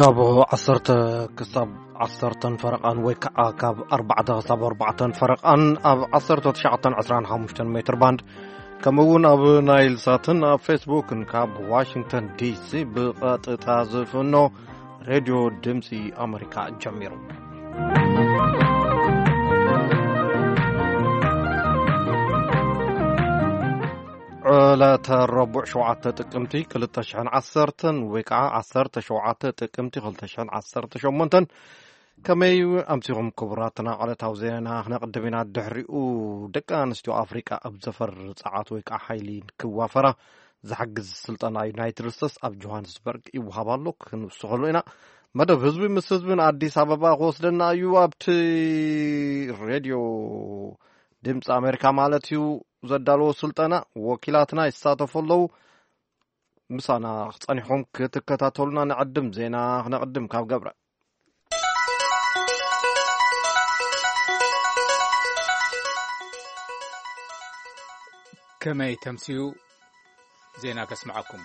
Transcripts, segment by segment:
ካብ ዓሰርተ ክሳብ ዓሰርተን ፈረቓን ወይ ከዓ ካብ ኣርባዕተ ክሳብ ኣርባዕተን ፈረቓን ኣብ ዓሰርተ ትሽዓተን ዕስራን ሓሙሽተን ሜትር ባንድ፣ ከምኡ እውን ኣብ ናይል ሳትን ኣብ ፌስቡክን ካብ ዋሽንግተን ዲሲ ብቐጥታ ዝፍኖ ሬድዮ ድምፂ ኣመሪካ ጀሚሩ። ዕለተ ረቡዕ ሸውዓተ ጥቅምቲ ክልተ ሽሕን ዓሰርተን ወይ ከዓ ዓሰርተ ሸውዓተ ጥቅምቲ ክልተ ሽሕን ዓሰርተ ሸሞንተን። ከመይ ኣምሲኹም ክቡራትና? ዕለታዊ ዜናና ክነቕድም ኢና። ድሕሪኡ ደቂ ኣንስትዮ ኣፍሪቃ ኣብ ዘፈር ጸዓት ወይ ከዓ ሓይሊ ክዋፈራ ዝሓግዝ ስልጠና ዩናይትድ ስቴትስ ኣብ ጆሃንስበርግ ይወሃብ ኣሎ። ክንውስኸሉ ኢና። መደብ ህዝቢ ምስ ህዝብን ኣዲስ ኣበባ ክወስደና እዩ። ኣብቲ ሬድዮ ድምፂ ኣሜሪካ ማለት እዩ ዘዳለዎ ስልጠና ወኪላትና ይሳተፉ ኣለዉ። ምሳና ክጸኒሕኩም ክትከታተሉና ንዕድም። ዜና ክነቕድም ካብ ገብረ። ከመይ ተምስዩ? ዜና ከስምዓኩም።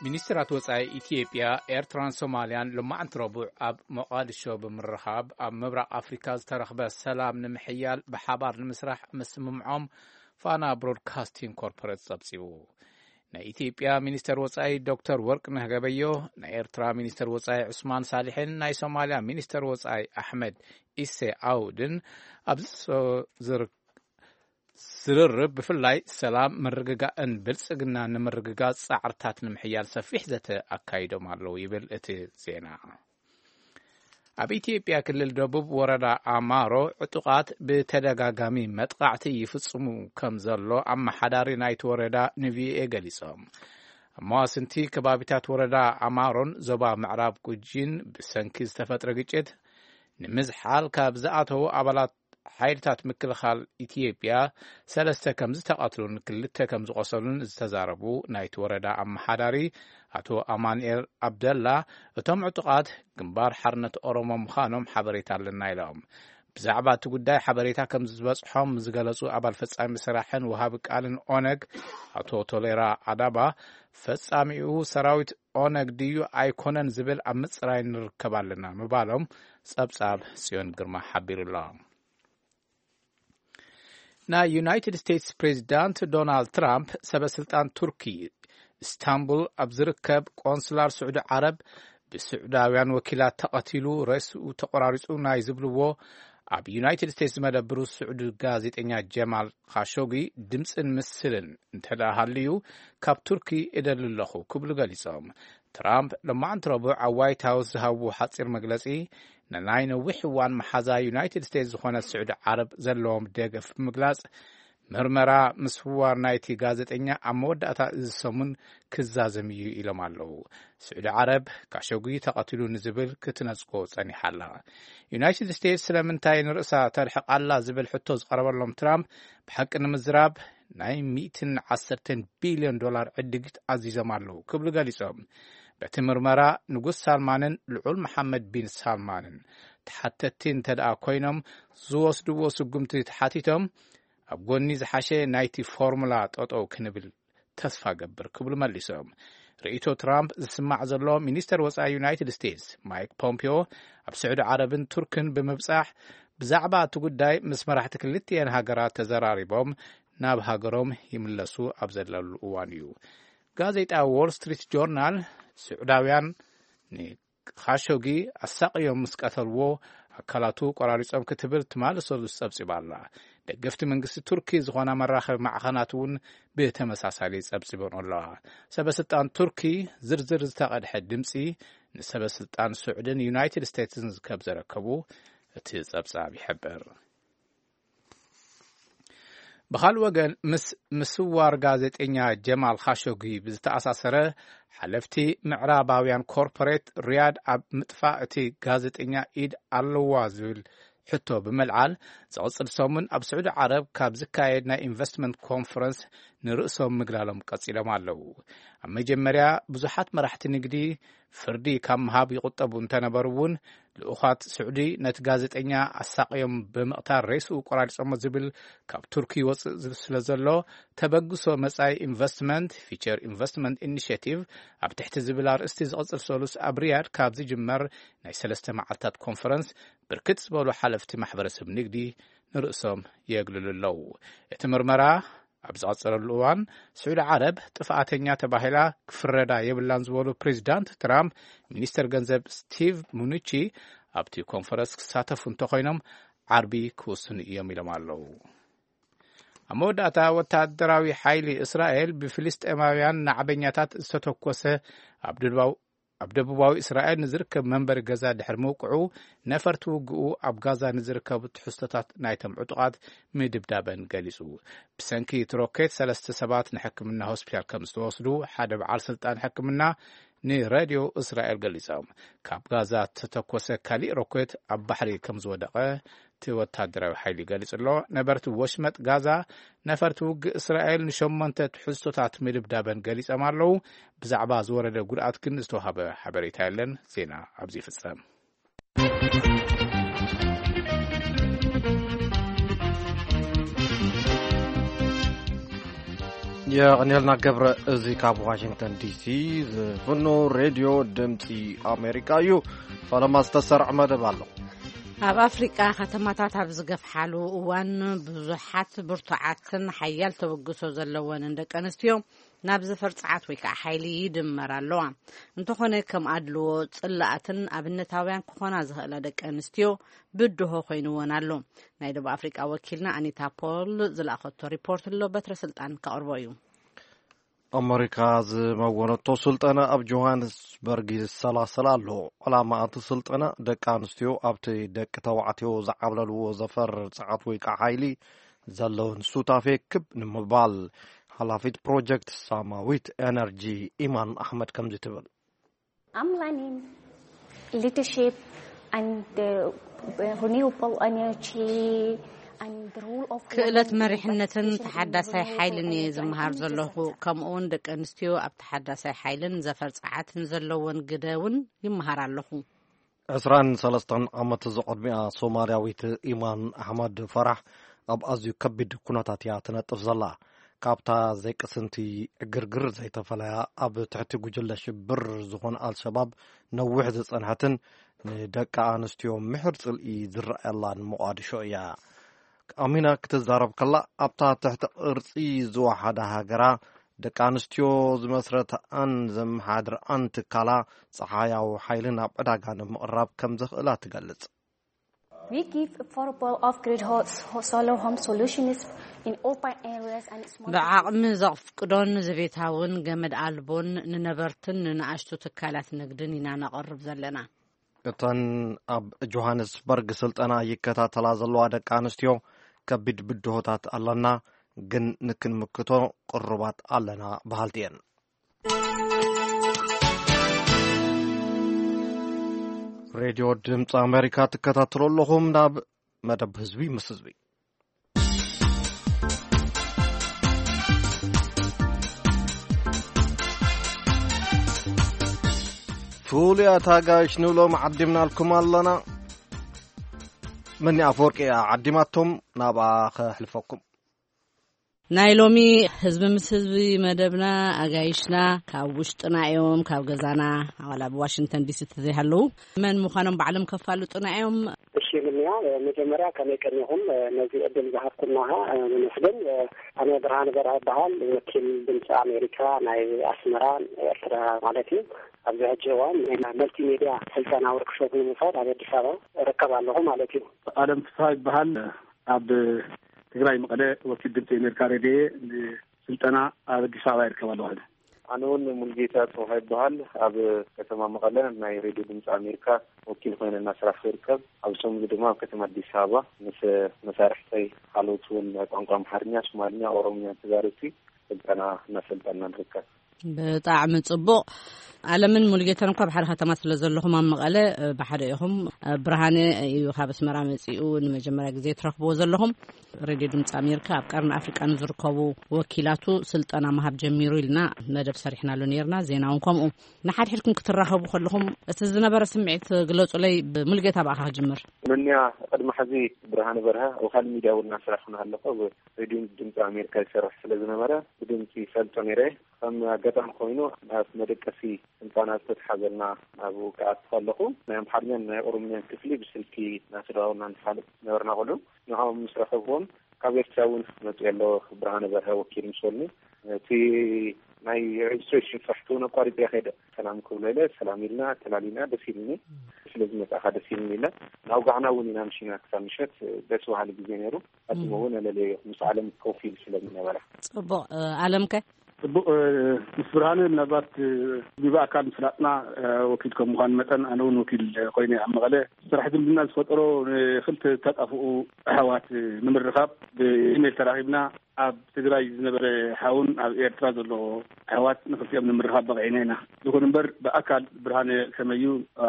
ሚኒስትራት ወጻኢ ኢትዮጵያ፣ ኤርትራን ሶማልያን ሎማዕንቲ ረቡዕ ኣብ ሞቓዲሾ ብምርኻብ፣ ኣብ ምብራቕ ኣፍሪካ ዝተረኽበ ሰላም ንምሕያል ብሓባር ንምስራሕ ምስምምዖም ፋና ብሮድካስቲንግ ኮርፖሬት ጸብጺቡ። ናይ ኢትዮጵያ ሚኒስተር ወጻኢ ዶክተር ወርቅነህ ገበዮ፣ ናይ ኤርትራ ሚኒስተር ወጻኢ ዑስማን ሳልሕን ናይ ሶማልያ ሚኒስተር ወጻኢ ኣሕመድ ኢሴ ኣውድን ኣብዚ ዝር-፣ ዝርርብ ብፍላይ ሰላም፣ ምርግጋእን ብልጽግና ንምርግጋጽ ጻዕርታት ንምሕያል ሰፊሕ ዘተ ኣካይዶም ኣለዉ ይብል እቲ ዜና። ኣብ ኢትዮጵያ ክልል ደቡብ ወረዳ ኣማሮ ዕጡቓት ብተደጋጋሚ መጥቓዕቲ ይፍጽሙ ከም ዘሎ ኣመሓዳሪ ናይቲ ወረዳ ንቪኦኤ ገሊጾም። ኣብ መዋስንቲ ከባቢታት ወረዳ ኣማሮን ዞባ ምዕራብ ጉጂን ብሰንኪ ዝተፈጥረ ግጭት ንምዝሓል ካብ ዝኣተዉ ኣባላት ሓይልታት ምክልኻል ኢትዮጵያ ሰለስተ ከም ዝተቐትሉን ክልተ ከም ዝቖሰሉን ዝተዛረቡ ናይቲ ወረዳ ኣመሓዳሪ ኣቶ ኣማኑኤል ኣብደላ፣ እቶም ዕጡቓት ግንባር ሓርነት ኦሮሞ ምዃኖም ሓበሬታ ኣለና ኢሎም። ብዛዕባ እቲ ጉዳይ ሓበሬታ ከም ዝበጽሖም ዝገለጹ ኣባል ፈጻሚ ስራሕን ወሃቢ ቃልን ኦነግ ኣቶ ቶሌራ ኣዳባ፣ ፈጻሚኡ ሰራዊት ኦነግ ድዩ ኣይኮነን ዝብል ኣብ ምጽራይ ንርከብ ኣለና ምባሎም ጸብጻብ ጽዮን ግርማ ሓቢሩ ኣሎ። ናይ ዩናይትድ ስቴትስ ፕሬዚዳንት ዶናልድ ትራምፕ ሰበ ስልጣን ቱርኪ፣ ኢስታንቡል ኣብ ዝርከብ ቆንስላር ስዑዲ ዓረብ ብስዑዳውያን ወኪላት ተቐቲሉ፣ ሬስኡ ተቆራሪጹ ናይ ዝብልዎ ኣብ ዩናይትድ ስቴትስ ዝመደብሩ ስዑዲ ጋዜጠኛ ጀማል ካሾጊ ድምፅን ምስልን እንተ ደኣ ሃልዩ፣ ካብ ቱርኪ እደሊ ኣለኹ ክብሉ ገሊጾም። ትራምፕ ሎማዕንቲ ረቡዕ ኣብ ዋይት ሃውስ ዝሃብዎ ሓጺር መግለጺ፣ ንናይ ነዊሕ እዋን መሓዛ ዩናይትድ ስቴትስ ዝኾነት ስዑዲ ዓረብ ዘለዎም ደገፍ ብምግላጽ፣ ምርመራ ምስዋር ናይቲ ጋዜጠኛ ኣብ መወዳእታ እዚ ሰሙን ክዛዘም እዩ ኢሎም ኣለዉ። ስዑዲ ዓረብ ካሾጊ ተቐቲሉ ንዝብል ክትነጽጎ ጸኒሓ ኣላ። ዩናይትድ ስቴትስ ስለምንታይ ንርእሳ ተርሕቕ ኣላ ዝብል ሕቶ ዝቐረበሎም ትራምፕ፣ ብሓቂ ንምዝራብ ናይ ሚእትን ዓሰርተን ቢልዮን ዶላር ዕድጊት ኣዚዞም ኣለዉ ክብሉ ገሊጾም። በቲ ምርመራ ንጉስ ሳልማንን ልዑል መሓመድ ቢን ሳልማንን ተሓተትቲ እንተ ደኣ ኮይኖም ዝወስድዎ ስጉምቲ ተሓቲቶም፣ ኣብ ጎኒ ዝሓሸ ናይቲ ፎርሙላ ጠጠው ክንብል ተስፋ ገብር ክብሉ መሊሶም። ርእይቶ ትራምፕ ዝስማዕ ዘሎ፣ ሚኒስተር ወጻኢ ዩናይትድ ስቴትስ ማይክ ፖምፒዮ ኣብ ስዑዲ ዓረብን ቱርክን ብምብጻሕ ብዛዕባ እቲ ጉዳይ ምስ መራሕቲ ክልቲኤን ሃገራት ተዘራሪቦም ናብ ሃገሮም ይምለሱ ኣብ ዘለሉ እዋን እዩ። ጋዜጣ ዎል ስትሪት ጆርናል፣ ስዑዳውያን ን ካሾጊ ኣሳቕዮም ምስ ቀተልዎ፣ ኣካላቱ ቆራሪጾም ክትብል ትማሊ ሰሉስ ጸብጺባ ኣላ። ደገፍቲ መንግስቲ ቱርኪ ዝኾና መራኸቢ ማዕኸናት እውን ብተመሳሳሊ ጸብጺበን ኣለዋ። ሰበ ስልጣን ቱርኪ ዝርዝር ዝተቐድሐ ድምጺ ንሰበ ስልጣን ስዑድን ዩናይትድ ስቴትስን ከም ዘረከቡ እቲ ጸብጻብ ይሕብር። ብኻልእ ወገን፣ ምስ ምስዋር ጋዜጠኛ ጀማል ኻሾጊ ብዝተኣሳሰረ፣ ሓለፍቲ ምዕራባውያን ኮርፖሬት ሪያድ ኣብ ምጥፋእ እቲ ጋዜጠኛ ኢድ ኣለዋ ዝብል ሕቶ ብምልዓል፣ ዝቕጽል ሰሙን ኣብ ስዑዲ ዓረብ ካብ ዝካየድ ናይ ኢንቨስትመንት ኮንፈረንስ ንርእሶም ምግላሎም ቀጺሎም ኣለዉ። ኣብ መጀመርያ ብዙሓት መራሕቲ ንግዲ ፍርዲ ካብ ምሃብ ይቑጠቡ እንተነበሩ እውን፣ ልኡኻት ስዑዲ ነቲ ጋዜጠኛ ኣሳቕዮም ብምቕታል ሬስኡ ቆራሪጾሞ ዝብል ካብ ቱርኪ ይወጽእ ዝብል ስለ ዘሎ፣ ተበግሶ መጻኢ ኢንቨስትመንት፣ ፊቸር ኢንቨስትመንት ኢኒሽቲቭ ኣብ ትሕቲ ዝብል ኣርእስቲ ዝቕጽል ሰሉስ ኣብ ሪያድ ካብ ዝጅመር ናይ ሰለስተ መዓልታት ኮንፈረንስ ብርክት ዝበሉ ሓለፍቲ ማሕበረሰብ ንግዲ ንርእሶም የግልሉ ኣለዉ። እቲ ምርመራ ኣብ ዝቐጸለሉ እዋን፣ ስዑዲ ዓረብ ጥፍኣተኛ ተባሂላ ክፍረዳ የብላን ዝበሉ ፕሬዚዳንት ትራምፕ፣ ሚኒስተር ገንዘብ ስቲቭ ሙኑቺ ኣብቲ ኮንፈረንስ ክሳተፉ እንተኾይኖም ዓርቢ ክውስኑ እዮም ኢሎም ኣለዉ። ኣብ መወዳእታ፣ ወታደራዊ ሓይሊ እስራኤል ብፍልስጤማውያን ናዕበኛታት ዝተተኮሰ ኣብ ደቡባዊ ኣብ ደቡባዊ እስራኤል ንዝርከብ መንበሪ ገዛ ድሕሪ ምውቅዑ፣ ነፈርቲ ውግኡ ኣብ ጋዛ ንዝርከቡ ትሕዝቶታት ናይቶም ዕጡቓት ምድብዳበን ገሊጹ። ብሰንኪ እቲ ሮኬት ሰለስተ ሰባት ንሕክምና ሆስፒታል ከም ዝተወስዱ ሓደ በዓል ስልጣን ሕክምና ንሬድዮ እስራኤል ገሊጾም። ካብ ጋዛ ዝተተኮሰ ካሊእ ሮኬት ኣብ ባሕሪ ከም ዝወደቐ እቲ ወታደራዊ ሓይሊ ገሊጹ ኣሎ። ነበርቲ ወሽመጥ ጋዛ ነፈርቲ ውግእ እስራኤል ንሸሞንተ ትሕዝቶታት ምድብዳበን ገሊጾም ኣለዉ። ብዛዕባ ዝወረደ ጉድኣት ግን ዝተዋህበ ሓበሬታ የለን። ዜና ኣብዚ ይፍጸም። የቐንየልና ገብረ። እዚ ካብ ዋሽንግተን ዲሲ ዝፍኖ ሬድዮ ድምፂ ኣሜሪካ እዩ። ፈለማ ዝተሰርዐ መደብ ኣሎ። ኣብ ኣፍሪቃ ከተማታት ኣብ ዝገፍሓሉ እዋን፣ ብዙሓት ብርቱዓትን ሓያል ተበግሶ ዘለወንን ደቂ ኣንስትዮ ናብ ዘፈር ጸዓት ወይ ከዓ ሓይሊ ይድመራ ኣለዋ። እንተኾነ፣ ከም ኣድልዎ፣ ጽላኣትን ኣብነታውያን ክኾና ዝኽእላ ደቂ ኣንስትዮ ብድሆ ኮይንወን ኣሎ። ናይ ደቡብ ኣፍሪቃ ወኪልና ኣኒታ ፖል ዝለኣኸቶ ሪፖርት ኣሎ፣ በትረ ስልጣን ከቕርቦ እዩ። ኣመሪካ ዝመወነቶ ስልጠና ኣብ ጆሃንስበርግ ይሰላሰል ኣሎ። ዕላማ እቲ ስልጠና፣ ደቂ ኣንስትዮ ኣብቲ ደቂ ተባዕትዮ ዝዓብለልዎ ዘፈር ጸዓት ወይ ከዓ ሓይሊ ዘለውን ሱታፌ ክብ ንምባል። ሓላፊት ፕሮጀክት ሳማዊት ኤነርጂ ኢማን ኣሕመድ ከምዚ ትብል። I'm learning leadership and the renewable energy and the role of ክእለት women in መሪሕነትን participation in ተሓዳሳይ renewable ሓይልን እየ energy and ዝመሃር community ዘለኹ። Center. ከምኡ እውን ደቂ ኣንስትዮ ኣብ ተሓዳሳይ ሓይልን ዘፈር ጸዓትን ዘለወን ግደ እውን ይመሃር ኣለኹ። ዕስራን ሰለስተን ዓመት ዝቐድሚኣ ሶማልያዊት ኢማን ኣሕመድ ፈራሕ ኣብ ኣዝዩ ከቢድ ኩነታት እያ ትነጥፍ ዘላ። ካብታ ዘይቅስንቲ ዕግርግር ዘይተፈለያ፣ ኣብ ትሕቲ ጉጅለ ሽብር ዝኾነ ኣልሸባብ ነዊሕ ዝጸንሐትን ንደቂ ኣንስትዮ ምሕር ጽልኢ ዝረኣየላን ሞቓድሾ እያ። ኣሚና ክትዛረብ ከላ፣ ኣብታ ትሕቲ ቅርጺ ዝወሓዳ ሃገራ ደቂ ኣንስትዮ ዝመስረትኣን ዘመሓድርኣን ትካላ ጸሓያዊ ሓይሊ ናብ ዕዳጋ ንምቕራብ ከም ዘኽእላ ትገልጽ። We give affordable off-grid hot solar home solutions in urban areas and small ብዓቕሚ ዘፍቅዶን ዘቤታውን ገመድ ኣልቦን ንነበርትን ንንኣሽቱ ትካላት ንግድን ኢና ነቕርብ ዘለና። እተን ኣብ ጆሃንስበርግ ስልጠና ይከታተላ ዘለዋ ደቂ ኣንስትዮ፣ ከቢድ ብድሆታት ኣለና፣ ግን ንክንምክቶ ቅሩባት ኣለና በሃልቲ እየን። ሬድዮ ድምፂ ኣሜሪካ ትከታተሉ ኣለኹም። ናብ መደብ ህዝቢ ምስ ህዝቢ። ፍሉያት ኣጋይሽ ንብሎም ዓዲምናልኩም ኣለና። መኒ ኣፈወርቂ እያ ዓዲማቶም፣ ናብኣ ከሕልፈኩም። ናይ ሎሚ ህዝቢ ምስ ህዝቢ መደብና፣ ኣጋይሽና ካብ ውሽጥና እዮም፣ ካብ ገዛና፣ ዋላ ኣብ ዋሽንግተን ዲሲ ተዘይሃለዉ፣ መን ምዃኖም ባዕሎም ከፋልጡና እዮም። እሺ፣ ምንያ፣ መጀመርያ ከመይ ቀኒኹም? ነዚ ዕድል ዝሃብኩምና ከኣ ነመስግን። ኣነ ብርሃነ በርሀ እበሃል፣ ወኪል ድምፂ ኣሜሪካ ናይ ኣስመራ፣ ኤርትራ ማለት እዩ። ኣብዚ ሕጂ እዋን ናይ መልቲሜድያ ስልጠና ወርክሾፕ ንምውሳድ ኣብ ኣዲስ ኣበባ እርከብ ኣለኹ ማለት እዩ። ኣለም ፍስሃ ይበሃል። ኣብ ትግራይ መቐለ ወኪል ድምፂ ኣሜሪካ ሬድዮ ንስልጠና ኣብ ኣዲስ ኣበባ ይርከብ ኣለኹ። ኣነ እውን ሙሉጌታ ጽባህ ይበሃል። ኣብ ከተማ መቐለ ናይ ሬድዮ ድምፂ ኣሜሪካ ወኪል ኮይነ እናሰራሕኩ ይርከብ። ኣብዚ ሰሙን ድማ ኣብ ከተማ ኣዲስ ኣበባ ምስ መሳርሕተይ ካልኦት እውን ቋንቋ ኣምሓርኛ፣ ሶማልኛ፣ ኦሮምኛ ተዛረብቲ ስልጠና እናሰልጠና ንርከብ። ብጣዕሚ ጽቡቕ። ኣለምን ሙሉጌታን እኳ ኣብ ሓደ ከተማ ስለ ዘለኹም ኣብ መቐለ፣ እ፣ ብሓደ ኢኹም። እ፣ ብርሃነ እዩ ካብ ኣስመራ መጺኡ ንመጀመርያ ግዜ ትረኽብዎ ዘለኹም። ሬድዮ ድምፂ ኣሜሪካ ኣብ ቀርኒ ኣፍሪቃ ንዝርከቡ ወኪላቱ ስልጠና ምሃብ ጀሚሩ ኢልና መደብ ሰሪሕናሉ ነይርና። ዜና እውን ከምኡ። ንሓድሕድኩም ክትራኸቡ ከለኹም እቲ ዝነበረ ስምዒት ግለጹለይ። ብሙሉጌታ ብኣኻ ክጅምር። መንያ፣ ቅድሚ ሕዚ ብርሃነ በርሀ ኣብ ካልእ ሚድያ እውን እናሰራሕኩ ኣለኹ። ኣብ ሬድዮ ድምፂ ኣሜሪካ ይሰርሕ ስለ ዝነበረ ብድምፂ ይፈልጦ ነይረ። ከም ኣጋጣሚ ኮይኑ ናብ መደቀሲ ህንፃና ዝተትሓዘልና ኣብኡ ክኣቱ ከለኹ ናይ ኣምሓርኛን ናይ ኦሮምኛን ክፍሊ ብስልኪ እናተደዋወልና ንፋለጥ ነበርና። ቆልዑ ንዕኦም ምስ ረኸብዎም ካብ ኤርትራ እውን መፅኡ ኣሎ ብርሃነ በርሀ ወኪል ምስ በሉኒ እቲ ናይ ሬጅስትሬሽን ስራሕቲ እውን ኣቋሪፀ ከይደ ሰላም ክብሎ ኢለ ሰላም ኢልና ተላሊና ደስ ኢሉኒ። ስለ ዝመፃእካ ደስ ኢሉኒ ኢለ ናውጋዕና እውን ኢና ምሽና ክሳብ ምሸት ደስ በሃሊ ግዜ ነይሩ። ኣድሞ እውን ኣለለዮ ምስ ዓለም ኮፍ ኢሉ ስለ ዝነበረ። ጽቡቕ። እ፣ ኣለምከ? ጽቡቕ። እ፣ ምስ ብርሃነ ምናልባት፣ እ፣ ብኣካል ምፍላጥና፣ እ፣ ወኪል ከም ምዃን መጠን ኣነ እውን ወኪል ኮይነ ኣብ መቐለ ስራሕ ዝምድና ዝፈጠሮ ንክልተ ተጣፍኡ ኣሕዋት ንምርኻብ ብኢሜይል ተራኺብና ኣብ ትግራይ ዝነበረ ሓውን ኣብ ኤርትራ ዘሎ ኣሕዋት ንክልቲኦም ንምርኻብ በቂዕና ኢና። ይኹን እምበር ብኣካል ብርሃነ ከመዩ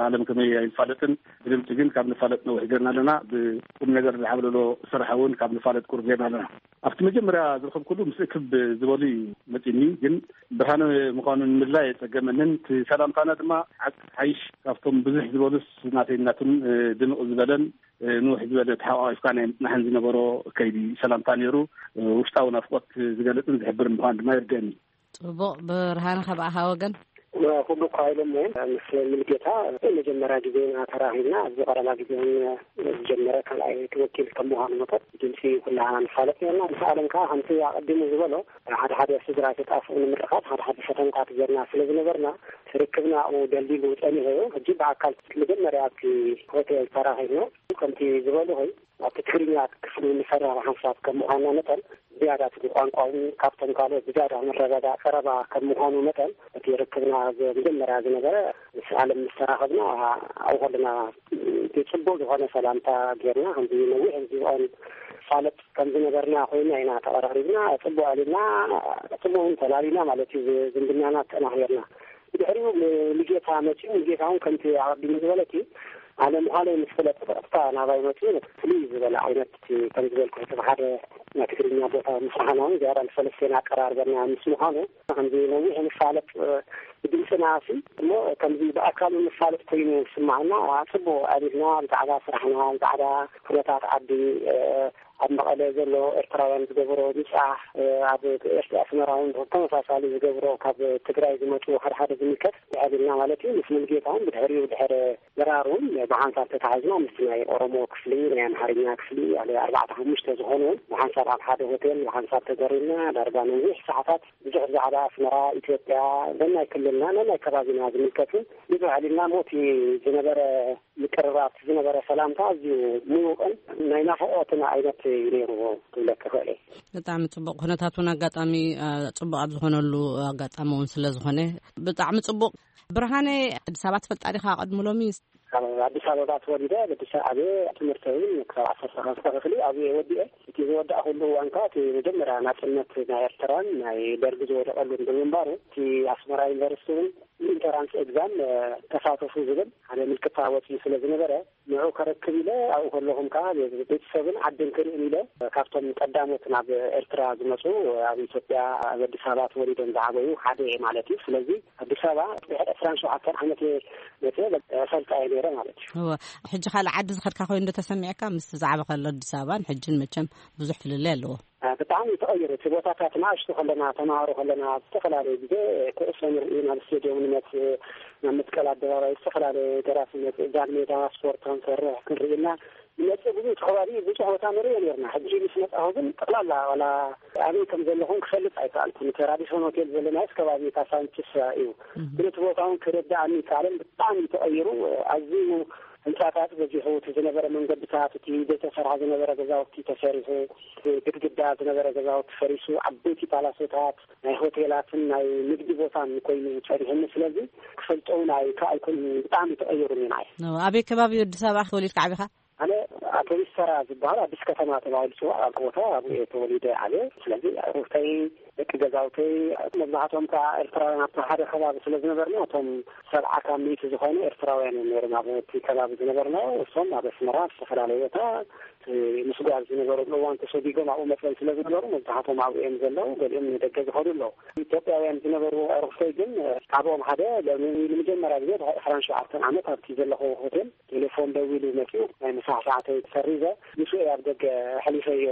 ኣለም ከመይ ኣይንፋለጥን። ብድምፂ ግን ካብ ንፋለጥ ነዊሕ ገርና ኣለና። ብቁም ነገር ዝዓብለሎ ስራሕ እውን ካብ ንፋለጥ ቁሩብ ገርና ኣለና። ኣብቲ መጀመርያ ዝረኸብኩሉ ምስ እክብ ዝበሉ እዩ መፂኒ። ግን ብርሃነ ምዃኑ ንምድላይ የፀገመንን። እቲ ሰላምታና ድማ ሓቂ ሓይሽ ካብቶም ብዙሕ ዝበሉስ ናተይናቱን ድምቕ ዝበለን ንውሕ ዝበለ ተሓቋቂፍካ ናይ ምጽናሕን ዝነበሮ ከይዲ ሰላምታ ነይሩ። ውሽጣዊ ናፍቆት ዝገልጽን ዝሕብርን ምዃን ድማ ይርደእኒ። ጽቡቕ። ብርሃነ፣ ካብ ኣኻ ወገን? ኩሉ እኳ ኢሎሞ ምስ ሙሉጌታ መጀመርያ ግዜና ተራኺብና ኣብዚ ቀረባ ግዜ እውን ዝጀመረ ካልኣይ ወኪል ከም ምዃኑ መጠን ድምፂ ኩላ ንፋለጥ ነርና። ምስ ኣለም ከዓ ከምቲ ኣቐዲሙ ዝበሎ ሓደ ሓደ ስድራ ተጣፍኡ ንምርኻብ ሓደ ሓደ ፈተንታት ጌርና ስለ ዝነበርና ርክብና ኣብኡ ደልዲሉ ጸኒሑ እዩ። ሕጂ ብኣካል መጀመርያ ኣብቲ ሆቴል ተራኺብና ከምቲ ዝበልኹ ኣብቲ ትግርኛ ክፍሊ ንፈራ ሓንሳብ ከም ምዃንና መጠን ዝያዳ እቲ ቋንቋ እውን ካብቶም ካልኦት ብዝያዳ መረዳዳ ቀረባ ከም ምዃኑ መጠን እቲ ርክብና መጀመርያ ዝነበረ ምስ ኣለም ምስ ተራኸብና ኣብኡ ከለና ጽቡቕ ዝኾነ ሰላምታ ጌርና ከምዚ ነዊሕ ህዝቢ ፋለጥ ከም ዝነበርና ኮይና ኢና ተቐራሪብና። ጽቡቕ ኣሊና ጽቡቕ እውን ተላሊና ማለት እዩ። ዝምድናና ኣጠናኺርና። ብድሕሪኡ ንጌታ መፂኡ ንጌታ እውን ከምቲ ኣቐዲሙ ዝበለቲ ኣነ ምዃነይ ምስ ፍለጥ ብቐጥታ ናባይ መፂኡ ፍልይ ዝበለ ዓይነት እቲ ከም ዝበልኩ እቲ ብሓደ ናይ ትግርኛ ቦታ ምስራሕና እውን ዝያዳ ንሰለስቴና ኣቀራርበና ምስ ምዃኑ ከምዚ ነዊሕ ንፋለጥ ብድምፅና ሲ እሞ ከምዚ ብኣካል ንፋለጥ ኮይኑ ዝስማዓና ጽቡቕ ኣቢልና ብዛዕባ ስራሕና ብዛዕባ ኩነታት ዓዲ ኣብ መቐለ ዘሎ ኤርትራውያን ዝገብሮ ምጻሕ ኣብ ኤርትራ ኣስመራ እውን ተመሳሳሊ ዝገብሮ ካብ ትግራይ ዝመፁ ሓደ ሓደ ዝምልከት ብሕልና ማለት እዩ ምስ ሙልጌታ እውን ብድሕሪኡ ድሕሪ ድራር እውን ብሓንሳብ ተታሒዝና ምስቲ ናይ ኦሮሞ ክፍሊ ናይ ኣምሓርኛ ክፍሊ ኣለ ኣርባዕተ ሓሙሽተ ዝኾኑ እውን ብሓንሳብ ኣብ ሓደ ሆቴል ብሓንሳብ ተዘሪና ዳርጋ ነዊሕ ሰዓታት ብዙሕ ብዛዕባ ኣስመራ ኢትዮጵያ ነናይ ክልልና ነናይ ከባቢና ዝምልከት እውን ብዙሕ ኣሊልና ሞቲ ዝነበረ ምቅርራብ ዝነበረ ሰላምታ ኣዝዩ ምዉቕን ናይ ናፍቖትን ዓይነት እዩ ነይርዎ ክብለኪ ክእል እየ። ብጣዕሚ ጽቡቕ። ኩነታት እውን ኣጋጣሚ ጽቡቕ ኣብ ዝኾነሉ ኣጋጣሚ እውን ስለ ዝኾነ ብጣዕሚ ጽቡቕ። ብርሃነ፣ ኣዲስ ኣበባ ትፈልጣ ዲኻ? ቅድሚ ሎሚ ኣብ ኣዲስ ኣበባ ተወሊደ ኣብ ኣዲስ ኣበባ ዓብየ ትምህርተይ ክሳብ ዓሰርተ ክፍሊ ኣብየ ወዲኤ። እቲ ዝወዳእኩሉ እዋን ከዓ እቲ መጀመርያ ናፅነት ናይ ኤርትራን ናይ ደርጊ ዝወደቐሉን ብምንባሩ እቲ ኣስመራ ዩኒቨርሲቲ እውን ኢንተራንስ ኤግዛም ተሳተፉ ዝብል ሓደ ምልክታ ወፂኡ ስለ ዝነበረ ንዑ ከረክብ ኢለ ኣብኡ ከለኹም ከዓ ቤተሰብን ዓድን ክርእን ኢለ ካብቶም ቀዳሞት ናብ ኤርትራ ዝመፁ ኣብ ኢትዮጵያ ኣብ ኣዲስ ኣበባ ተወሊዶም ዝዓበዩ ሓደ እየ ማለት እዩ። ስለዚ ኣዲስ ኣበባ ድሕሪ ዕስራን ሸውዓተን ዓመት እየ መፅየ እፈልጣ እየ ነይረ ማለት እዩ። ሕጂ ካልእ ዓዲ ዝኸድካ ኮይኑ ዶ ተሰሚዕካ? ምስ ዛዕባ ከሎ ኣዲስ ኣበባን ሕጅን መቸም ብዙሕ ፍልልይ ኣለዎ። ብጣዕሚ ተቐይሩ እቲ ቦታታት ንኣሽቱ ከለና ተማሃሮ ከለና ኣብ ዝተፈላለዩ ግዜ ኩዕሶ ንርኢ ናብ ስቴድዮም ንመፅእ ናብ መስቀል ኣደባባይ ዝተፈላለዩ ደራሲ መፅእ ጃን ሜዳ ስፖርት ክንሰርሕ ክንርኢ እና ንመፅእ ብዙ እቲ ከባቢ ብዙሕ ቦታ ንሪኦ ነርና ሕጂ ምስ መፃኹ ግን ጠቕላላ ዋላ ኣበይ ከም ዘለኹን ክፈልጥ ኣይከኣልኩን እቲ ራዲሶን ሆቴል ዘለናዮስ ከባቢ ካሳንችስ እዩ ግን እቲ ቦታ እውን ክርዳእኒ ይከኣልን ብጣዕሚ ተቐይሩ ኣዝዩ ህንፃታት በዚሑ እቲ ዝነበረ መንገድታት እቲ ዘይተሰርሐ ዝነበረ ገዛውቲ ተሰሪሑ ግድግዳ ዝነበረ ገዛውቲ ፈሪሱ ዓበይቲ ፓላሶታት ናይ ሆቴላትን ናይ ንግዲ ቦታን ኮይኑ ፀኒሕኒ ስለዚ ክፈልጦ እውን ኣይከኣልኩን ብጣዕሚ ተቐይሩኒ ንዓይ። ኣበይ ከባቢ ኣዲስ ኣበባ ተወሊድካ ዓቢኻ? ኣነ ኣቶ ሚስተራ ዝበሃል ኣዲስ ከተማ ተባሂሉ ዝፅዋዕ ኣብ ቦታ ኣብኡ እየ ተወሊደ ዓብየ። ስለዚ ኣዕሩኽተይ፣ ደቂ ገዛውተይ፣ መብዛሕትኦም ከዓ ኤርትራውያን ኣብቲ ሓደ ከባቢ ስለ ዝነበርና፣ እቶም ሰብዓ ካብ ሚእቲ ዝኾኑ ኤርትራውያን እዮም ነይሮም ኣብቲ ከባቢ ዝነበርና። እሶም ኣብ ኣስመራ ኣብ ዝተፈላለዩ ቦታ እቲ ምስጓዝ ዝነበረሉ እዋን ተሰዲጎም ኣብኡ መፅኦም ስለ ዝነበሩ፣ መብዛሕትኦም ኣብኡ እዮም ዘለዉ። ገሊኦም ንደገ ዝኸዱ ኣለዉ። ኢትዮጵያውያን ዝነበሩ ኣዕሩኽተይ ግን ካብኦም ሓደ ሎሚ ንመጀመርያ ግዜ ድሕሪ ዕስራን ሸውዓተን ዓመት ኣብቲ ዘለኹዎ ሆቴል ቴሌፎን ደዊሉ መፂኡ፣ ናይ ምሳሕ ሰዓተይ ሰሪዘ፣ ምስኡ እየ ኣብ ደገ ኣሕሊፈዮ።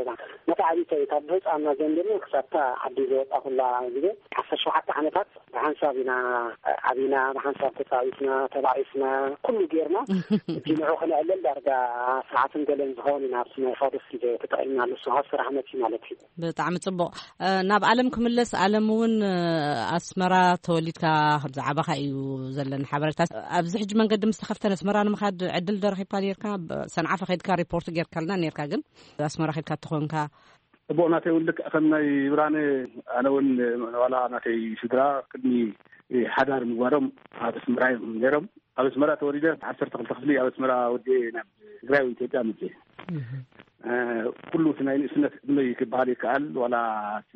መታዕቢተይ ካብ ህፃንና ጀሚርና ክሳብታ ዓዲ ዝወጣኹላ ግዜ፣ ዓሰርተ ሸውዓተ ዓመታት ብሓንሳብ ኢና ዓቢና፣ ብሓንሳብ ተፃዊትና፣ ተባኢስና፣ ኩሉ ጌርና። እቲ ንዑ ክነዕልል ዳርጋ ሰዓትን ገለን ዝኸውን ኢና ኣብቲ ናይ ፋዶስ ግዜ ተጠቒምናሉ፣ እሱ ካብ ስራሕ መፂኡ ማለት እዩ። ብጣዕሚ ጽቡቕ። እ፣ ናብ ዓለም ክምለስ፣ ዓለም እውን፣ እ፣ ኣስመራ ተወሊድካ ከም ዝዓበኻ እዩ ዘለን ሓበሬታ። ኣብዚ ሕጂ መንገዲ ምስ ተኸፍተ፣ ኣስመራ ንምኻድ ዕድል ዶ ረኺብካ ነይርካ? ብ-፣ ሰንዓፈ ከይድካ ሪፖርት ጌርካልና ነይርካ፣ ግን ኣስመራ ከይድካ እተኾንካ? ጽቡቕ፣ ናተይ እውን ልክዕ ከም ናይ ብርሃነ፣ ኣነ እውን ዋላ ናተይ ስድራ ቅድሚ ሓዳር ምግባሮም ኣብ ኣስመራ እዮም ነይሮም። ኣብ ኣስመራ ተወሊደ፣ ዓሰርተ ክልተ ክፍሊ ኣብ ኣስመራ ወዲኤ ናብ ትግራይ ወይ ኢትዮጵያ መፅእ። እ፣ ኩሉ እቲ ናይ ንእስነት ዕድመይ ክበሃል ይከኣል፣ ዋላ እቲ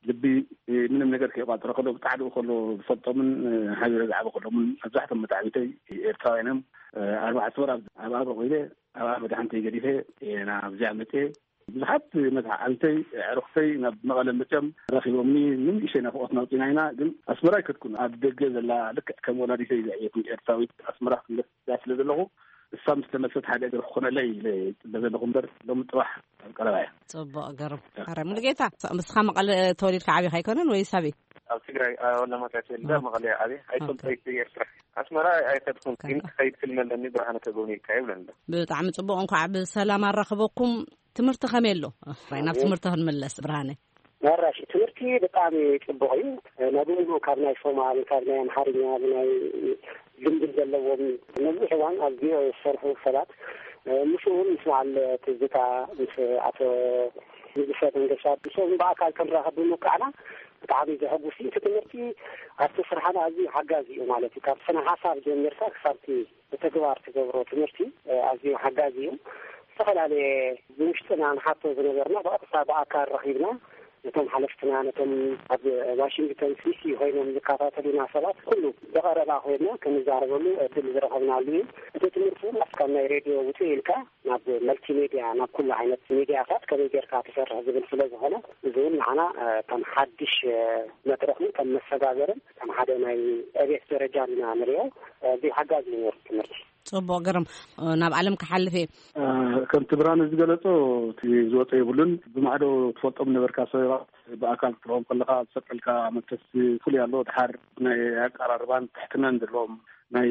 ልቢ፣ እ፣ ምንም ነገር ከይቋፀረ ከሎ፣ ብጣዕድኡ ከሎ ዝፈልጦምን፣ እ፣ ሓቢረ ዝዓበ ከሎምን መብዛሕቶም መታዕቢተይ ኤርትራውያን እዮም። እ፣ ኣርባዕተ ወር ኣብ፣ ኣብ ኣብረ ኮይነ፣ ኣብ መድሓንተይ ገዲፈ፣ እ፣ ናብዚኣ መፅእ። ብዙሓት መታዕቢተይ፣ ኣዕሩኽተይ ናብ መቐለ መፅኦም ረኺቦምኒ፣ ንንእሽተይ ናፍቖት ናውፂና ኢና። ግን ኣስመራ ኣይከድኩን። ኣብ ደገ ዘላ፣ ልክዕ ከም ወላዲተይ ዘዕየትኒ ኤርትራዊት፣ ኣስመራ ክምለስ ስለ ዘለኹ፣ እሳ ምስ ተመልሰት ሓደ እግሪ ክኾነለይ ኢለ ይጽበ ዘለኹ እምበር፣ ሎሚ ጽባሕ ኣብ ቀረባ እያ። ጽቡቕ፣ ግርም። ኣረ ሙሉጌታ፣ ስ-፣ ምስኻ መቐለ ተወሊድካ ዓቢኻ ኣይኮነን ወይስ ኣበይ? ኣብ ትግራይ፣ ኣብ ኣለማጣ ተወሊደ፣ ኣብ መቐለ እየ ዓብየ። ኣይፈልጦ፣ ኦኬ። ኣይተ ኤርትራ። ኣስመራ ኣይከድኩን፣ ግን ከ- ክኸይድ ትልሚ ኣለኒ፣ ብርሃነ ከጎብንየካ ይብለኒ ኣሎ። ብጣዕሚ ጽቡቕ፣ እንኳዕ ብሰላም ኣራኸበኩም። ትምህርቲ ከመይ ኣሎ? ራይ ናብ ትምህርቲ ክንምለስ፣ ብርሃነ። መራሽ ትምህርቲ ብጣዕሚ ጽቡቕ እዩ። ናይ ብምሉኡ ካብ ናይ ሶማል፣ ካብ ናይ ኣምሓርኛ፣ ብናይ ልምዲ ዘለዎም ነዊሕ እዋን ኣብ ቪኦኤ ዝሰርሑ ሰባት፣ ምስኡ እውን ምስ በዓል ትዝታ፣ ምስ ኣቶ ንጉሰ መንገሻ፣ ምስኦም ብኣካል ክንራኸብ ብምብቃዕና ብጣዕሚ ዘሐጉስ እዩ። እቲ ትምህርቲ ኣብቲ ስራሕና ኣዝዩ ሓጋዚ እዩ ማለት እዩ። ካብ ስነ ሓሳብ ጀሚርካ ክሳብቲ ብተግባር ትገብሮ ትምህርቲ፣ እ፣ ኣዝዩ ሓጋዚ እዩ። ዝተፈላለየ ብውሽጥና ንሓቶ ዝነበርና ብቐጥታ ብኣካል ረኺብና ነቶም ሓለፍትና፣ ነቶም ኣብ ዋሽንግተን ዲሲ ኮይኖም ዝከታተሉና ሰባት ኩሉ ብቐረባ ኮይንና ክንዛረበሉ ዕድል ዝረኸብናሉ እዩ። እቲ ትምህርቲ እውን ካብ ናይ ሬድዮ ውፅእ ኢልካ ናብ መልቲሜድያ፣ ናብ ኩሉ ዓይነት ሚድያታት ከመይ ጌርካ ትሰርሕ ዝብል ስለ ዝኾነ፣ እዚ እውን ንዓና፣ እ፣ ከም ሓድሽ፣ እ፣ መድረኽን ከም መሰጋገርን ከም ሓደ ናይ ዕቤት ደረጃን ኢና ንሪኦ። ኣዝዩ ሓጋዚ እዩ ነይሩ ትምህርቲ። ጽቡቕ፣ ግርም። ናብ ዓለም ክሓልፍ እየ። እ፣ ከምቲ ብርሃነ ዝገለጾ፣ እቲ ዝወጸ የብሉን። ብማዕዶ ትፈልጦም ነበርካ ሰባት ብኣካል ክትረኽቦም ከለኻ ዝፈጥረልካ መንፈስ ፍሉይ ኣሎ። ድሓር ናይ ኣቀራርባን ትሕትናን ዘለዎም ናይ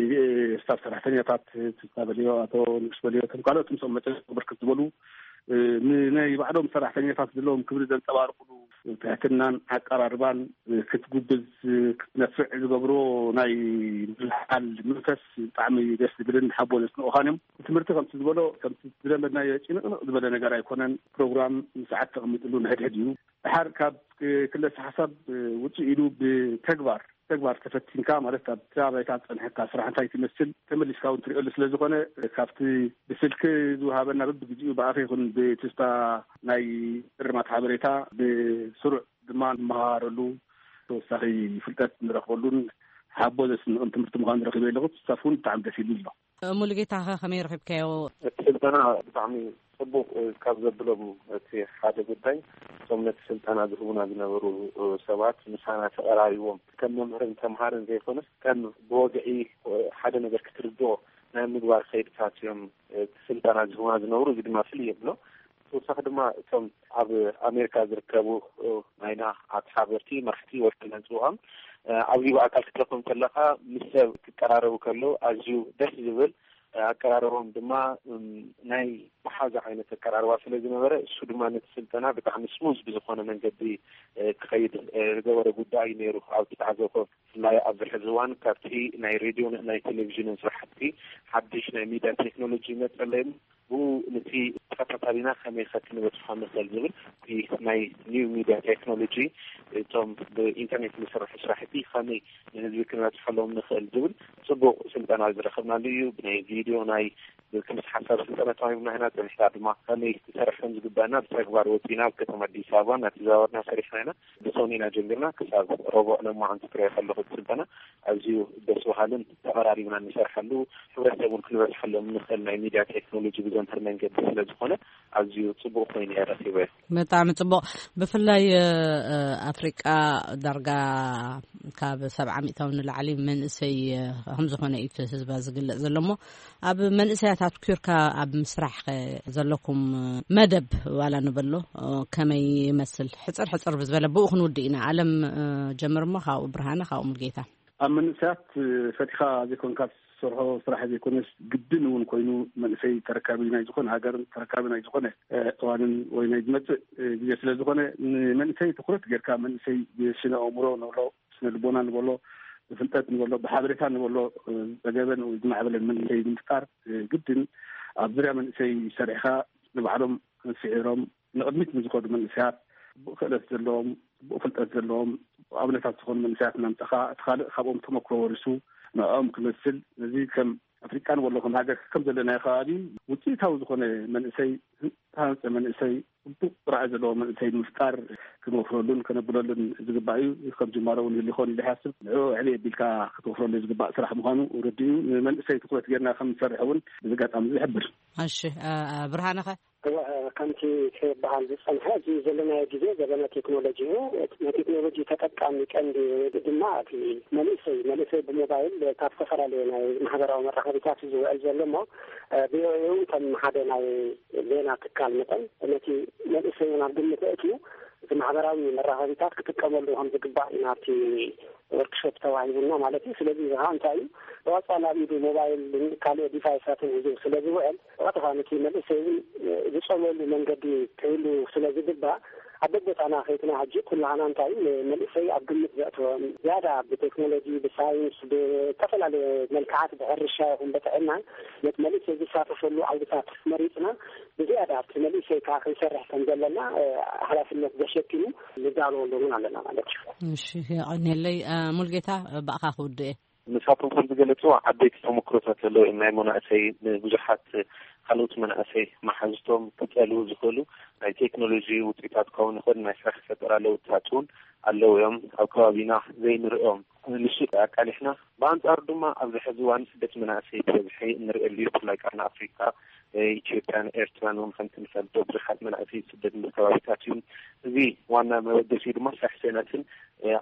ስታፍ ሰራሕተኛታት፣ ትዝታ በልዮ፣ ኣቶ ንጉስ በልዮ፣ እቶም ካልኦት ምስኦም መጸ ብርክት ዝበሉ፣ እ፣ ንናይ ባዕሎም ሰራሕተኛታት ዘለዎም ክብሪ ዘንጸባርቑሉ ትሕትናን ኣቀራርባን፣ እ፣ ክትጉብዝ፣ እ፣ ክትነፍዕ ዝገብሮ ናይ ምልዓል መንፈስ ብጣዕሚ ደስ ዝብልን ሓቦ ዘስንቑኻን እዮም። ትምህርቲ ከምቲ ዝበሎ፣ ከምቲ ዝለመድናዮ ጭንቕንቕ ዝበለ ነገር ኣይኮነን። ፕሮግራም ሰዓት ተቐሚጥሉ ንሕድሕድ እዩ። ድሓር ካብ፣ እ፣ ክለሰ ሓሳብ፣ እ፣ ውፅእ ኢሉ ብተግባር፣ ተግባር ተፈቲንካ፣ ማለት ኣብታ ባይታ ዝፀንሐካ ስራሕ እንታይ ትመስል ተመሊስካ እውን ትሪኦሉ ስለ ዝኾነ፣ ካብቲ ብስልኪ ዝወሃበና በብግዜኡ ብኣፈ ይኹን ብትስታ ናይ እርማት ሓበሬታ ብስሩዕ ድማ ንመሃረሉ፣ ተወሳኺ ፍልጠት ንረኽበሉን ሓቦ ዘስንቕን ትምህርቲ ምዃኑ ረኺበ ኣለኹ። ክሳብ እውን ብጣዕሚ ደስ ኢሉኒ ኣሎ። ሙሉጌታ ኸ ከመይ ረኺብካዮ? እቲ ስልጠና ብጣዕሚ ጽቡቕ፣ እ፣ ካብ ዘብሎም እቲ ሓደ ጉዳይ፣ እቶም ነቲ ስልጠና ዝህቡና ዝነበሩ፣ እ፣ ሰባት ምሳና ተቐራሪቦም፣ ከም መምህርን ተምሃርን ዘይኮነስ፣ ከም ብወግዒ፣ እ፣ ሓደ ነገር ክትርድኦ ናይ ምግባር ከይድታት እዮም፣ እ፣ እቲ ስልጠና ዝህቡና ዝነበሩ። እዚ ድማ ፍልይ የብሎ። ተወሳኺ ድማ እቶም ኣብ ኣሜሪካ ዝርከቡ፣ እ፣ ናይና ኣተሓበርቲ፣ መራሕቲ፣ ወኪልና ንጽውዖም፣ እ፣ ኣብዚ ብኣካል ክትረኽቦም ከለኻ፣ ምስ ሰብ ክቀራረቡ ከለዉ ኣዝዩ ደስ ዝብል፣ እ፣ ኣቀራርቦም ድማ፣ እም፣ ናይ መሓዛ ዓይነት ኣቀራርባ ስለ ዝነበረ፣ እሱ ድማ ነቲ ስልጠና ብጣዕሚ ስሙዝ ብዝኾነ መንገዲ፣ እ፣ ክኸይድ፣ እ፣ ዝገበረ ጉዳይ እዩ ነይሩ። ኣብ ዝተዓዘብኮ፣ ብፍላይ ኣብዚ ሕዚ እዋን ካብቲ ናይ ሬድዮን ናይ ቴሌቪዥንን ስራሕቲ ሓድሽ ናይ ሚድያ ቴክኖሎጂ ይመጸለይ፣ ብኡ ነቲ ተኸታታሊና ከመይ ከ ክንበጽሖ ንኽእል ዝብል፣ እቲ ናይ ኒው ሚድያ ቴክኖሎጂ፣ እቶም ብኢንተርኔት ዝስርሑ ስራሕቲ ከመይ ንህዝቢ ክንበጽሐሎም ንኽእል ዝብል ጽቡቕ ስልጠና ዝረኸብናሉ እዩ። ብናይ ቪድዮ ናይ ክልስ ሓሳብ ስልጠና ተዋሂቡና ኢና። ጸኒሕና ድማ ከመይ ክሰርሕ ከም ዝግባእና ብተግባር ወጺና ኣብ ከተማ ኣዲስ ኣበባ እናተዘዋወርና ሰሪሕና ኢና። ብሰኑይ ኢና ጀሚርና ክሳብ ረቡዕ ለማዓንቲ ትሪኦ ከለኹ እቲ ስልጠና ኣዝዩ ደስ በሃልን ተቐራሪብና እንሰርሐሉ፣ ሕብረተሰብ እውን ክንበፅሐሎም እንኽእል ናይ ሚድያ ቴክኖሎጂ ብዘምህር መንገዲ ስለ ዝኾነ ኣዝዩ ጽቡቕ ኮይኑ እየ ረኺበዮ። ብጣዕሚ ጽቡቕ። ብፍላይ ኣፍሪቃ ዳርጋ ካብ ሰብዓ ሚእታዊ ንላዕሊ መንእሰይ ከም ዝኾነ እዩ እቲ ህዝባ ዝግለጽ ዘሎ እሞ ኣብ መንእሰያት ኣትኲርካ ኣብ ምስራሕ ከ ዘለኩም መደብ ዋላ ንበሎ ከመይ ይመስል? ሕጽር ሕጽር ብዝበለ ብኡ ክንውድእ ኢና። ኣለም ጀምር እሞ ካብኡ ብርሃነ ካብኡ ሙልጌታ። ኣብ መንእሰያት ፈቲኻ ዘይኮንካ ትሰርሖ ስራሕ ዘይኮነስ ግድን እውን ኮይኑ መንእሰይ ተረካቢ ናይ ዝኾነ ሃገርን ተረካቢ ናይ ዝኾነ እዋንን ወይ ናይ ዝመፅእ ግዜ ስለ ዝኾነ ንመንእሰይ ትኩረት ጌርካ መንእሰይ ብስነ ኣእምሮ ንብሎ ብስነ ልቦና ንበሎ ብፍልጠት ንበሎ ብሓበሬታ ንበሎ ዝፀገበን ወይ ዝማዕበለን መንእሰይ ንምፍጣር ግድን ኣብ ዙርያ መንእሰይ ሰሪሕኻ ንባዕሎም ስዒሮም ንቕድሚት ንዝኸዱ መንእሰያት ብኡ ክእለት ዘለዎም ብኡ ፍልጠት ዘለዎም ኣብነታት ዝኾኑ መንእሰያት እናምፀኻ እቲ ካልእ ካብኦም ተመክሮ ወሪሱ ንዕኦም ክመስል ነዚ ከም ኣፍሪቃ ንበሎ ከም ሃገር ከም ዘለናዮ ከባቢ ውፅኢታዊ ዝኾነ መንእሰይ ዝተሃንፀ መንእሰይ ጽቡቕ ራዕይ ዘለዎ መንእሰይ ንምፍጣር ክንወፍረሉን ከነብለሉን ዝግባእ እዩ። ከም ጅማሮ እውን ይህሉ ይኸውን ኢለ ይሓስብ። ንዕኡ ዕብይ ኣቢልካ ክትወፍረሉ ዝግባእ ስራሕ ምዃኑ ርዱእ እዩ። ንመንእሰይ ትኹረት ጌርና ከም ንሰርሕ እውን ብዚ ኣጋጣሚ እዚ ይሕብር። እሺ፣ እ፣ እ፣ ብርሃነ ኸ? እወ፣ ከምቲ ክበሃል ዝጸንሐ፣ እዚ ዘለናዮ ግዜ ዘበነ ቴክኖሎጂ እዩ። ናይ ቴክኖሎጂ ተጠቃሚ ቀንዲ ድማ እቲ መንእሰይ፣ መንእሰይ ብሞባይል ካብ ዝተፈላለየ ናይ ማሕበራዊ መራኸቢታት እዩ ዝውዕል ዘሎ እሞ፣ እ፣ ቪኦኤ እውን ከም ሓደ ናይ ዜና ትካል መጠን፣ ነቲ መንእሰይ እውን ኣብ ግምት ኣእትዩ፣ እቲ ማሕበራዊ መራኸቢታት ክጥቀመሉ ከም ዝግባእ እዩ ናብቲ ወርክሾፕ ተዋሂቡና ማለት እዩ። ስለዚ እዚ ኸዓ እንታይ እዩ? ብቐጻሊ ኣብ ኢዱ ሞባይልን ካልእ ዲቫይሳትን ሒዙ ስለ ዝውዕል፣ ብቐጥታ ነቲ መንእሰይ እውን ዝጸልወሉ መንገዲ ክህሉ ስለ ዝግባእ፣ ኣብ በቦታና ከይትና ሕጂ ኩላህና እንታይ እዩ ንመንእሰይ ኣብ ግምት ዘእተወ፣ ዝያዳ ብቴክኖሎጂ፣ ብሳይንስ፣ ብዝተፈላለየ መልክዓት፣ ብሕርሻ ይኹን ብጥዕና፣ ነቲ መንእሰይ ዝሳተፈሉ ዓውድታት መሪጽና፣ ብዝያዳ ኣብቲ መንእሰይ ከኣ ክንሰርሕ ከም ዘለና፣ እ፣ ሓላፍነት ዘሸኪሙ ንዳለወሉ እውን ኣለና ማለት እዩ። እሺ፣ የቐንየለይ። እ፣ ሙልጌታ፣ ብኣኻ ክውድእ እየ። ንሳቶም ከም ዝገለጽዎ ዓበይቲ ተመክሮታት ኣለዉ እዮም። ናይ መናእሰይ ንብዙሓት ካልኦት መናእሰይ መሓዝቶም ክጸልዉ ዝኽእሉ ናይ ቴክኖሎጂ ውፅኢታት ክኸውን ይኽእል፣ ናይ ስራሕ ፈጠራ ለውጥታት እውን ኣለዉ እዮም። ኣብ ከባቢና ዘይንርእዮም ንሱ ኣቃሊሕና። ብኣንጻሩ ድማ ኣብዚ ሕዚ እዋን ስደት መናእሰይ ብበዝሒ እንርእየሉ እዩ። ብፍላይ ቃርኒ ኣፍሪቃ፣ ኢትዮጵያን ኤርትራን እውን ከምቲ ንፈልጦ ብዙሓት መናእሰይ ስደት ከባቢታት እዩ። እዚ ዋና መበገሲኡ ድማ ስራሕ ስእነትን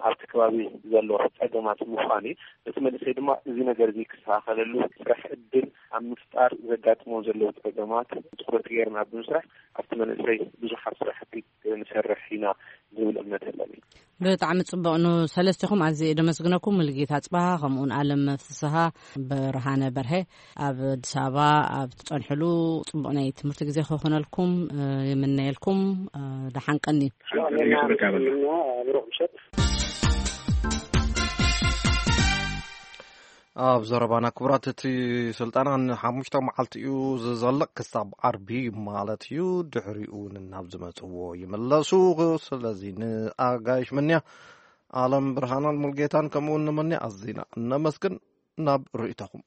ኣብቲ ከባቢ ዘሎ ጸገማት ምዃን እዩ። ነቲ መንእሰይ ድማ እዚ ነገር እዚ ክስተኻኸለሉ ስራሕ ዕድል ኣብ ምፍጣር ዘጋጥሞ ዘለዉ ጸገማት ትኹረት ገይርና ብምስራሕ ኣብቲ መንእሰይ ብዙሓት ስራሕቲ ንሰርሕ ኢና ዝብል እምነት ኣለኒ። ብጣዕሚ ጽቡቕ። ንሰለስቲኹም ኣዝየ እየ ደመስግነኩም። ሙሉጌታ ጽባሃ ከምኡውን ኣለም ፍስሃ ብርሃነ በርሀ ኣብ ኣዲስ ኣበባ ኣብ ትጸንሕሉ ጽቡቕ ናይ ትምህርቲ ግዜ ክኾነልኩም፣ እ፣ ይምነየልኩም። እ፣ ደሓን ቀኒ። ብሩኽ ምሸት። ኣብ ዘረባና ክቡራት፣ እቲ ስልጠና ንሓሙሽተ መዓልቲ እዩ ዝዘልቕ፣ ክሳብ ዓርቢ ማለት እዩ። ድሕሪኡ ንናብ ዝመጽዎ ይምለሱ። ስለዚ ንኣጋይሽ መንያ፣ ኣለም ብርሃናን ሙልጌታን ከምኡውን ንመንያ ኣዚና እነመስግን። ናብ ርእይቶኹም።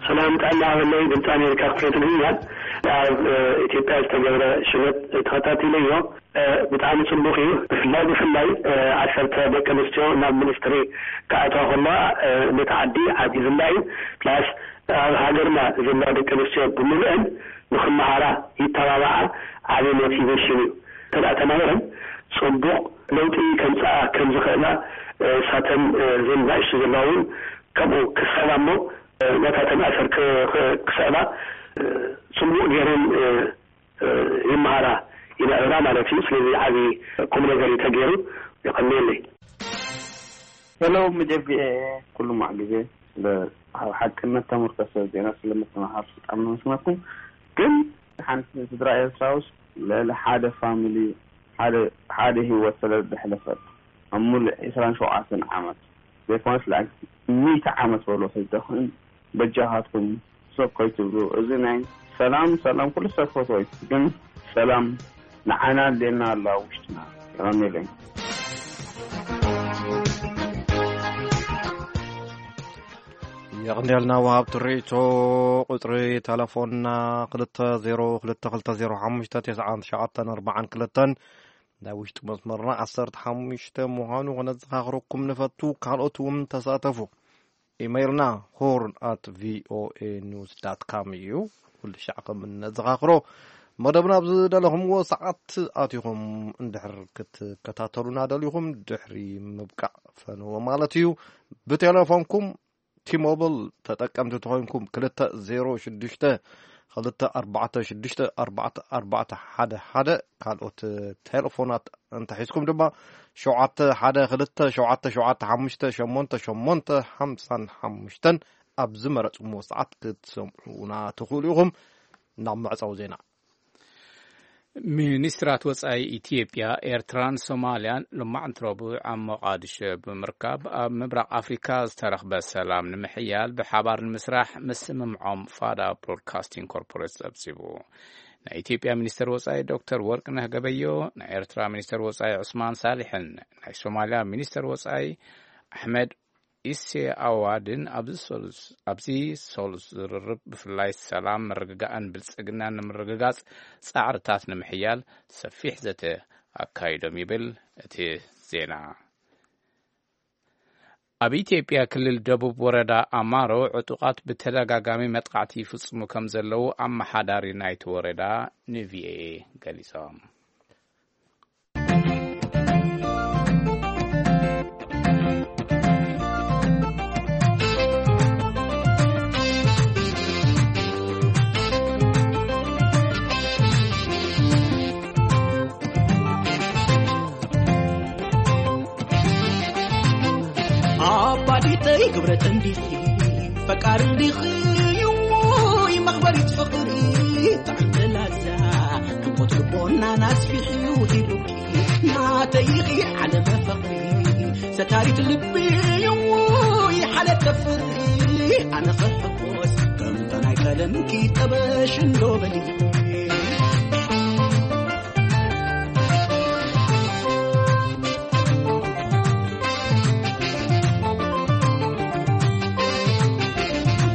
ሰላም ጥዕና ሃበለይ፣ ድምፂ ኣሜሪካ ክፍለ ትግርኛ። ኣብ፣ እ፣ ኢትዮጵያ ዝተገብረ ሽመት ተኸታቲለዮ። እ፣ ብጣዕሚ ጽቡቕ እዩ። ብፍላይ፣ ብፍላይ፣ እ፣ ዓሰርተ ደቂ ኣንስትዮ ናብ ሚኒስትሪ ክኣትዋ ከለዋ፣ እ፣ ነቲ ዓዲ ዓቢ ዝላ እዩ። ፕላስ ኣብ ሃገርና ዘለዋ ደቂ ኣንስትዮ ብምሉአን ንኽመሃራ ይተባብዓ፣ ዓቢ ሞቲቬሽን እዩ። እንተ ደኣ ተማሂረን ጽቡቕ ለውጢ ከምጽኣ ከም ዝኽእላ፣ እ፣ እሳተን፣ እ፣ እዘን ናእሽቱ ዘለዋ እውን ከምኡ ክስዕባ እሞ፣ እ፣ ናታተን ኣሰር ክ-፣ ክ-፣ ክስዕባ፣ እ፣ ጽቡቕ ገይረን፣ እ፣ እ፣ ይመሃራ ይምዕብላ ማለት እዩ። ስለዚ ዓቢ ቁም ነገር እዩ ተገይሩ። የቐንየለይ። ሄሎ፣ መጀቢኤ ኩሉ ማዕ ግዜ ስለ ኣብ ሓቅነት ተመርኮሰ ዜና ስለ ምትመሃር ብጣዕሚ ነመስግነኩም። ግን ሓንቲ ስድራ ኤርትራ ውስጥ ልዕሊ ሓደ ፋሚሊ፣ ሓደ፣ ሓደ ህይወት ስለ ዘሕለፈት ኣብ ሙሉእ ዕስራን ሸውዓተን ዓመት ዘይኮነስ ልዕሊ ሚእቲ ዓመት በሎ ተዝደኽን በጃኻትኩም ሰብ ከይትብሉ። እዚ ናይ ሰላም፣ ሰላም፣ ኩሉ ሰብ ፈትዎ እዩ፣ ግን ሰላም ንዓና ኣድልየና ኣሎ ኣብ ውሽጥና። የቐንየለይ። የቐንየልና ወሃብቲ ርእይቶ። ቁጽሪ ተለፎንና ክልተ ዜሮ ክልተ ክልተ ዜሮ ሓሙሽተ ተስዓን ትሽዓተን ኣርባዓን ክልተን፣ ናይ ውሽጢ መስመርና ዓሰርተ ሓሙሽተ ምዃኑ ከነዘኻኽረኩም ንፈቱ። ካልኦት እውን ተሳተፉ። ኢመይልና ሆርን ኣት ቪኦኤ ኒውስ ዳት ካም እዩ። ኩሉ ሻዕ ከም እነዘኻኽሮ፣ መደብና ኣብ ዝደለኹምዎ ሰዓት ኣቲኹም እንድሕር ክትከታተሉና ደሊኹም፣ ድሕሪ ምብቃዕ ፈነወ ማለት እዩ። ብቴሌፎንኩም ቲሞብል ተጠቀምቲ ተኾይንኩም፣ ክልተ ዜሮ ሽዱሽተ ክልተ ኣርባዕተ ሽዱሽተ ኣርባዕተ ኣርባዕተ ሓደ ሓደ። ካልኦት ቴሌፎናት እንተሒዝኩም ድማ፣ ሸውዓተ ሓደ ክልተ ሸውዓተ ሸውዓተ ሓሙሽተ ሸሞንተ ሸሞንተ ሓምሳን ሓሙሽተን፣ ኣብ ዝመረጽኩምዎ ሰዓት ክትሰምዑና ትኽእሉ ኢኹም። ናብ መዕጸዊ ዜና። ሚኒስትራት ወጻኢ ኢትዮጵያ፣ ኤርትራን ሶማልያን ሎማዕንቲ ረቡዕ ኣብ ሞቓዲሾ ብምርካብ፣ ኣብ ምብራቕ ኣፍሪካ ዝተረኽበ ሰላም ንምሕያል ብሓባር ንምስራሕ ምስምምዖም ፋዳ ብሮድካስቲንግ ኮርፖሬት ጸብጺቡ። ናይ ኢትዮጵያ ሚኒስትር ወጻኢ ዶክተር ወርቅነህ ገበዮ፣ ናይ ኤርትራ ሚኒስትር ወጻኢ ዑስማን ሳሊሕን ናይ ሶማልያ ሚኒስትር ወጻኢ ኣሕመድ ኢሴ ኣዋድን ኣብዚ ሰሉስ፣ ኣብዚ ሰሉስ ዝርርብ ብፍላይ ሰላም፣ ምርግጋእን ብልጽግናን ንምርግጋጽ ጻዕርታት ንምሕያል ሰፊሕ ዘተ ኣካይዶም ይብል እቲ ዜና። ኣብ ኢትዮጵያ ክልል ደቡብ ወረዳ ኣማሮ ዕጡቓት ብተደጋጋሚ መጥቃዕቲ ይፍጽሙ ከም ዘለዉ ኣመሓዳሪ ናይቲ ወረዳ ንቪኦኤ ገሊጾም። ኣባዲተይ ክብረት እንዲኺ ፈቃር እንዲኺ ይሞይ መኽበሪት ፍቕሪ ጥዕምቲ ላዛ ሕንቆት ልቦና ናስፊሕዩ ሂቡኪ ናተይኺ ዓለመ ፍቕሪ ሰታሪት ልቢ ይሞይ ሓለት ተፍሪ ኣነ ኽሕጎስ ከምቶ ናይ ቀደምኪ ጠበሽ እንዶ በሊ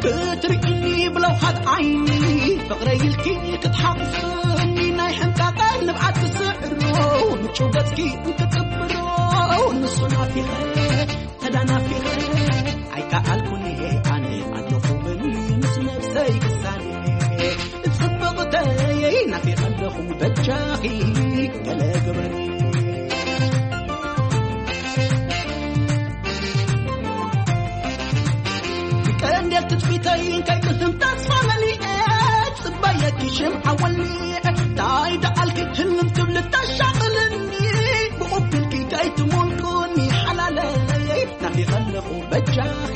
ክትርቅኒ ብለውሃት ዓይኒ ፍቕረይ ኢልኪ ክትሓቑፍኒ ናይ ሕንቃቐ ንብዓት ትስዕሮ ምቹ ገጽኪ እንክጽብሮ ንሱ ናፊቐ ተዳናፊቐ ኣይከኣልኩን ኣነ ኣለኹ ብል ምስ ነብሰይ ክሳነ ጽብቕተይ ናፊቐ ኣለኹ በጃኺ ገለ ግበሪ ቀንዴል ትጽቢተይ ከይትህም ተስፋ መሊኤ ጽበየኪ ሽምዓ ወሊዐ ታይ ደኣልኪ ትልም ትብል ታሻቕልኒ ብቑብልኪ ከይትሞልኩኒ ሓላለይ ናፊቐ ኣለኹ በጃኺ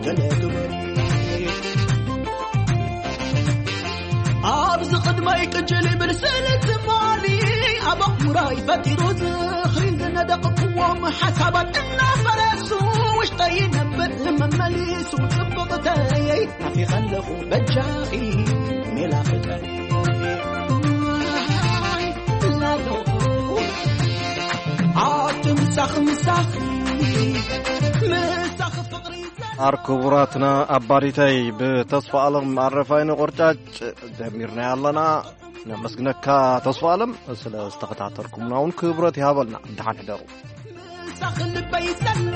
ገለ ግበሪ ኣብዚ ቅድመይ ቅጭል ይብል ስለ ትማሊ ኣብ ኣእምሮይ ፈጢሩ ዝኽሪ ዝነደቕኩዎም ሓሳባት እናፈረሱ ውሽጠይ ይነብዕ መመሊሱ ጽብቕተይ ናፊቐ ኣለኹ በጃኺ ሜላ ፍቅሪ ላሎ ኣቲ ምሳኺ ምሳኺ ምሳኺ ፍቕሪ ኣር ክቡራትና ኣባዲተይ ብተስፋ ኣለም ኣረፋይነ ቆርጫጭ ጀሚርና ኣለና። ነመስግነካ ተስፋ ኣለም ስለ ዝተኸታተልኩምና እውን ክብረት ይሃበልና። ደሓን ሕደሩ። ምሳኺ ልበይ ዘሎ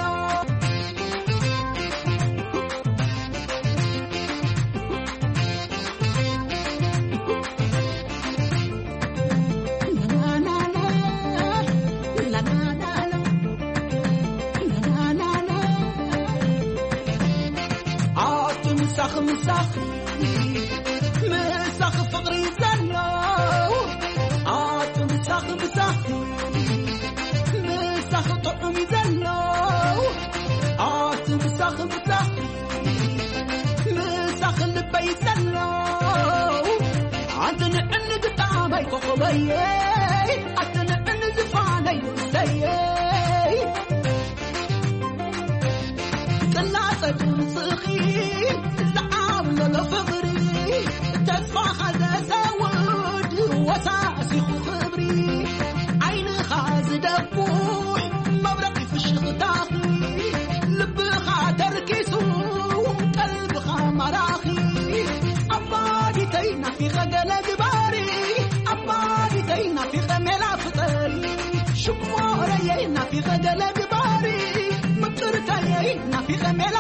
ኣቲ ምሳኺ ምሳኺ ምሳኺ ፍቕሪ ዘሎ ኣቲ ምሳኺ ምሳኺ ምሳኺ ጥዑም እዩ ዘሎ ኣቲ ምሳኺ ምሳኺ ምሳኺ ልበይ ዘሎ ኣቲ ንዕኒ ግጣማይ ኮኸበየ ኣቲ ንዕኒ ዝፋነይ ንሰየ ቅላጸ ድምጽኺ ዝዓብለሎ ፍቕሪ ተስፋኻ ዘሰውድ ወሳሲኹ ክብሪ ናፊቐ ገለ ግባሪ ኣማሪተይ ናፊቐ ሜላ ፍቐሪ ሽኮረየይ ናፊቐ ገለ ግባሪ ምቅርተየይ ናፊቐ ሜላ